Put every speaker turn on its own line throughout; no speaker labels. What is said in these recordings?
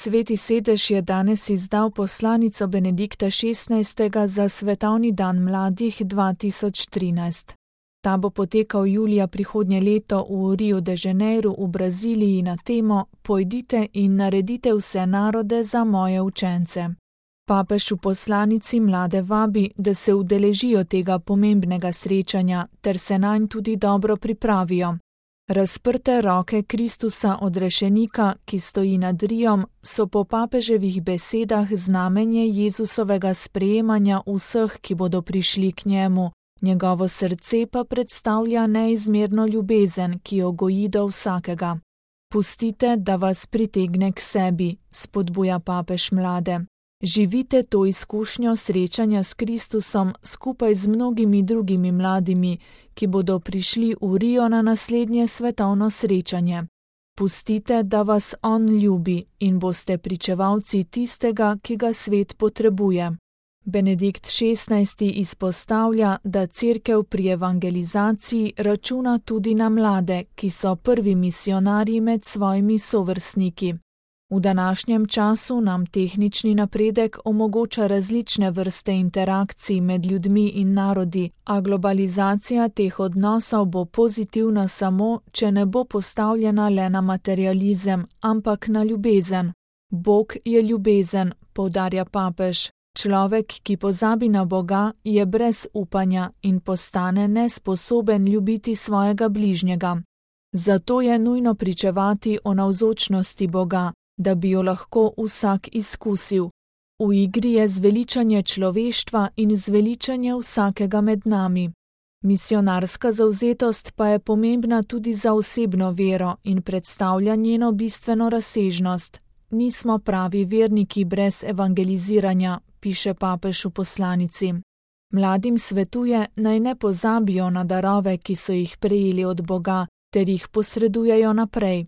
Sveti sedež je danes izdal poslanico Benedikta XVI. Za svetovni dan mladih 2013. Ta bo potekal julija prihodnje leto v Rio de Janeiro v Braziliji na temo Pojdite in naredite vse narode za moje učence. Papež v poslanici mlade vabi, da se udeležijo tega pomembnega srečanja ter se nanj tudi dobro pripravijo. Razprte roke Kristusa odrešenika, ki stoji nad Riom, so po papeževih besedah znamenje Jezusovega sprejemanja vseh, ki bodo prišli k njemu. Njegovo srce pa predstavlja neizmerno ljubezen, ki jo goji do vsakega. Pustite, da vas pritegne k sebi, spodbuja papež mlade. Živite to izkušnjo srečanja s Kristusom skupaj z mnogimi drugimi mladimi, ki bodo prišli v Rio na naslednje svetovno srečanje. Pustite, da vas on ljubi in boste pričevalci tistega, ki ga svet potrebuje. Benedikt XVI. Izpostavlja, da Cerkev pri evangelizaciji računa tudi na mlade, ki so prvi misionarji med svojimi sovrstniki. V današnjem času nam tehnični napredek omogoča različne vrste interakcij med ljudmi in narodi, a globalizacija teh odnosov bo pozitivna samo, če ne bo postavljena le na materializem, ampak na ljubezen. Bog je ljubezen, poudarja papež. Človek, ki pozabi na Boga, je brez upanja in postane nesposoben ljubiti svojega bližnjega. Zato je nujno pričevati o navzočnosti Boga, da bi jo lahko vsak izkusil. V igri je zveličanje človeštva in zveličanje vsakega med nami. Misionarska zavzetost pa je pomembna tudi za osebno vero in predstavlja njeno bistveno razsežnost. Nismo pravi verniki brez evangeliziranja, piše papež v poslanici. Mladim svetuje, naj ne pozabijo na darove, ki so jih prejeli od Boga, ter jih posredujejo naprej.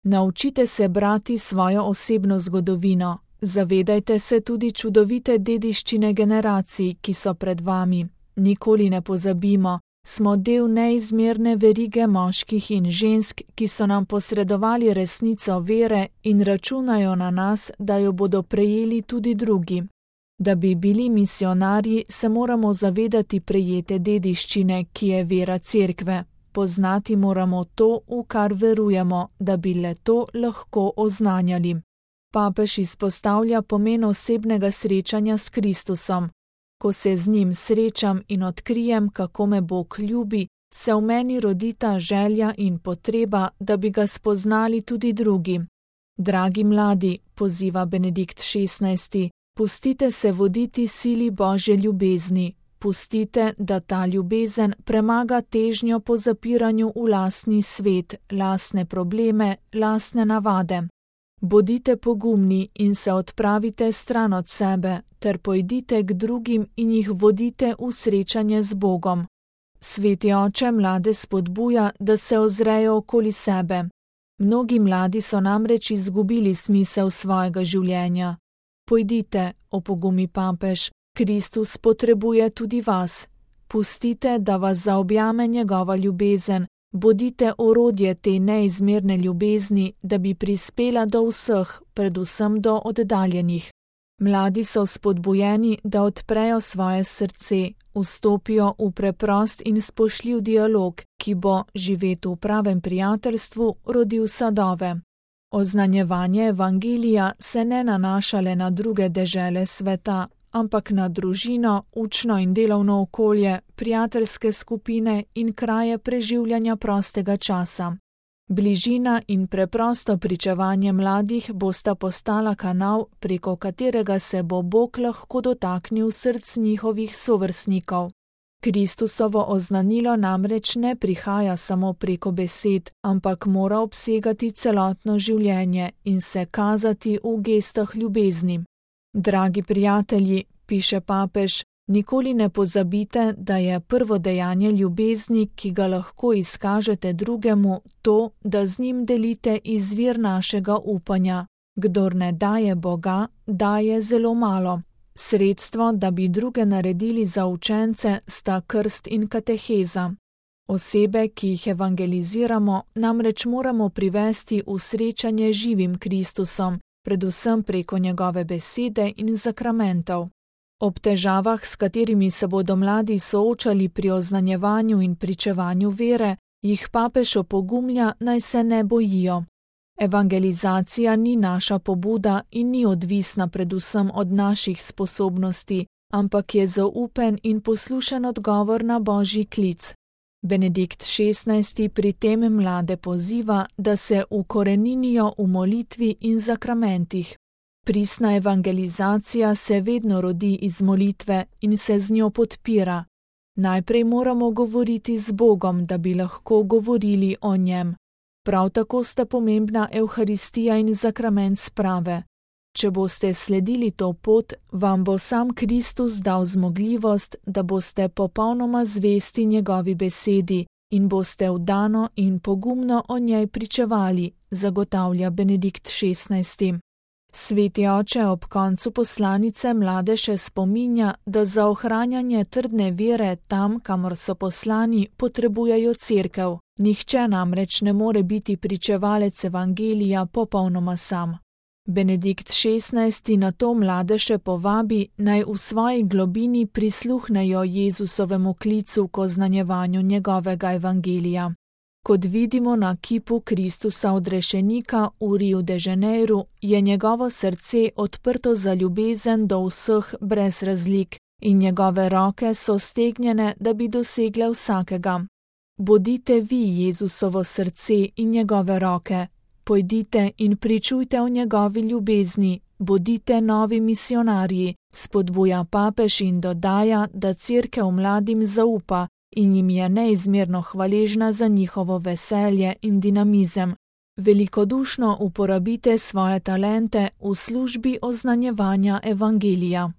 Naučite se brati svojo osebno zgodovino, zavedajte se tudi čudovite dediščine generacij, ki so pred vami. Nikoli ne pozabimo, smo del neizmerne verige moških in žensk, ki so nam posredovali resnico vere in računajo na nas, da jo bodo prejeli tudi drugi. Da bi bili misionarji, se moramo zavedati prejete dediščine, ki je vera Cerkve. Poznati moramo to, v kar verujemo, da bi le to lahko oznanjali. Papež izpostavlja pomen osebnega srečanja s Kristusom. Ko se z njim srečam in odkrijem, kako me Bog ljubi, se v meni rodita želja in potreba, da bi ga spoznali tudi drugi. Dragi mladi, poziva Benedikt XVI., pustite se voditi sili Božje ljubezni. Pustite, da ta ljubezen premaga težnjo po zapiranju v lastni svet, lastne probleme, lastne navade. Bodite pogumni in se odpravite stran od sebe, ter pojdite k drugim in jih vodite v srečanje z Bogom. Sveti oče mlade spodbuja, da se ozrejo okoli sebe. Mnogi mladi so namreč izgubili smisel svojega življenja. Pojdite, opogumi papež, Kristus potrebuje tudi vas. Pustite, da vas zaobjame njegova ljubezen, bodite orodje te neizmerne ljubezni, da bi prispela do vseh, predvsem do oddaljenih. Mladi so spodbujeni, da odprejo svoje srce, vstopijo v preprost in spoštljiv dialog, ki bo, živet v pravem prijateljstvu, rodil sadove. Oznanjevanje evangelija se ne nanaša le na druge dežele sveta, ampak na družino, učno in delovno okolje, prijateljske skupine in kraje preživljanja prostega časa. Bližina in preprosto pričevanje mladih bosta postala kanal, preko katerega se bo Bog lahko dotaknil src njihovih sovrstnikov. Kristusovo oznanilo namreč ne prihaja samo preko besed, ampak mora obsegati celotno življenje in se kazati v gestah ljubezni. Dragi prijatelji, piše papež, nikoli ne pozabite, da je prvo dejanje ljubezni, ki ga lahko izkažete drugemu, to, da z njim delite izvir našega upanja. Kdor ne daje Boga, daje zelo malo. Sredstvo, da bi druge naredili za učence, sta krst in kateheza. Osebe, ki jih evangeliziramo, namreč moramo privesti v srečanje živim Kristusom, predvsem preko njegove besede in zakramentov. Ob težavah, s katerimi se bodo mladi soočali pri oznanjevanju in pričevanju vere, jih papež opogumlja, naj se ne bojijo. Evangelizacija ni naša pobuda in ni odvisna predvsem od naših sposobnosti, ampak je zaupen in poslušen odgovor na Božji klic. Benedikt XVI pri tem mlade poziva, da se ukoreninijo v molitvi in zakramentih. Pristna evangelizacija se vedno rodi iz molitve in se z njo podpira. Najprej moramo govoriti z Bogom, da bi lahko govorili o njem. Prav tako sta pomembna Evharistija in zakrament sprave. Če boste sledili to pot, vam bo sam Kristus dal zmogljivost, da boste popolnoma zvesti njegovi besedi in boste vdano in pogumno o njej pričevali, zagotavlja Benedikt XVI. Sveti oče ob koncu poslanice mlade še spominja, da za ohranjanje trdne vere tam, kamor so poslani, potrebujejo cerkev. Nihče namreč ne more biti pričevalec evangelija popolnoma sam. Benedikt XVI na to mlade še povabi, naj v svoji globini prisluhnejo Jezusovemu klicu k oznanjevanju njegovega evangelija. Kot vidimo na kipu Kristusa odrešenika v Riu de Janeiru, je njegovo srce odprto za ljubezen do vseh brez razlik in njegove roke so stegnjene, da bi dosegle vsakega. Bodite vi Jezusovo srce in njegove roke. Pojdite in pričujte o njegovi ljubezni, bodite novi misionarji, spodbuja papež in dodaja, da cerkev mladim zaupa in jim je neizmerno hvaležna za njihovo veselje in dinamizem. Velikodušno uporabite svoje talente v službi oznanjevanja evangelija.